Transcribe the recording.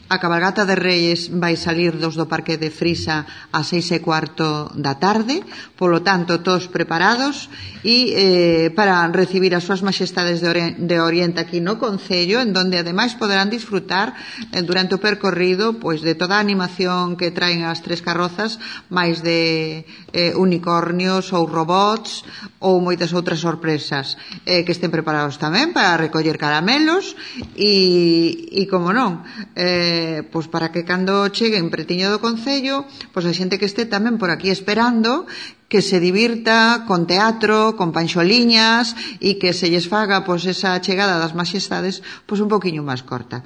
A cabalgata de Reyes vai salir dos do Parque de Frisa ás 6:15 da tarde, polo tanto, todos preparados e para recibir as súas majestades de Oriente aquí no Concello, en donde ademais poderán disfrutar durante o percorrido pois de toda a animación que traen as tres carrozas, máis de unicornios ou robots ou moitas outras sorpresas que estén preparados tamén para recoller caramelos e como non, pois para que cando cheguen pretiño do Concello, pois a xente que este tamén por aquí esperando que se divirta con teatro, con panxoliñas e que se lles faga pois esa chegada das majestades pois un poquinho máis corta.